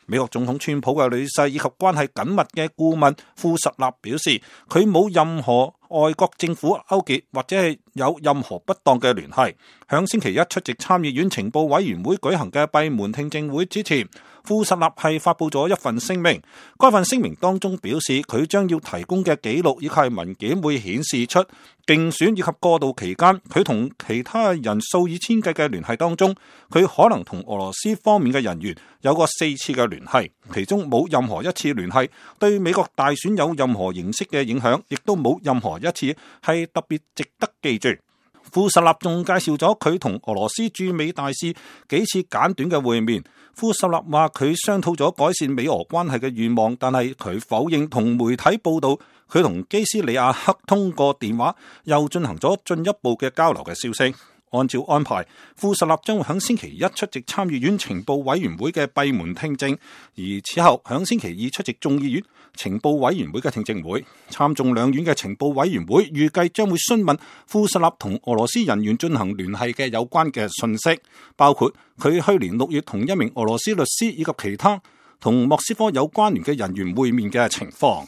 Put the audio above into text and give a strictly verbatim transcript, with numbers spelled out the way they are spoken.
美國總統川普嘅女婿以及關係緊密嘅顧問庫什納表示，佢冇任何外國政府勾結或者係有任何不當嘅聯繫。響星期一出席參議院情報委員會舉行嘅閉門聽證會之前，庫什納係發佈咗一份聲明。該份聲明當中表示，佢將要提供嘅記錄以及文件會顯示出競選以及過渡期間佢同其他人數以千計嘅聯繫當中，佢可能同俄羅斯方面嘅人員有過四次嘅聯繫，其中冇任何一次聯繫對美國大選有任何形式嘅影響，亦都冇任何一次係特別值得記住。庫什納仲介紹咗佢同俄羅斯駐美大使幾次簡短嘅會面。庫什納話佢商討咗改善美俄關係嘅願望，但係佢否認同媒體報道佢同基斯里亞克通過電話又進行咗進一步嘅交流嘅消息。按照安排，庫什納將會喺星期一出席參議院情報委員會嘅閉門聽證，而此後喺星期二出席眾議院情報委員會嘅聽證會。參眾兩院嘅情報委員會預計將會詢問庫什納同俄羅斯人員進行聯繫嘅有關嘅信息，包括佢去年六月同一名俄羅斯律師以及其他同莫斯科有關聯嘅人員會面嘅情況。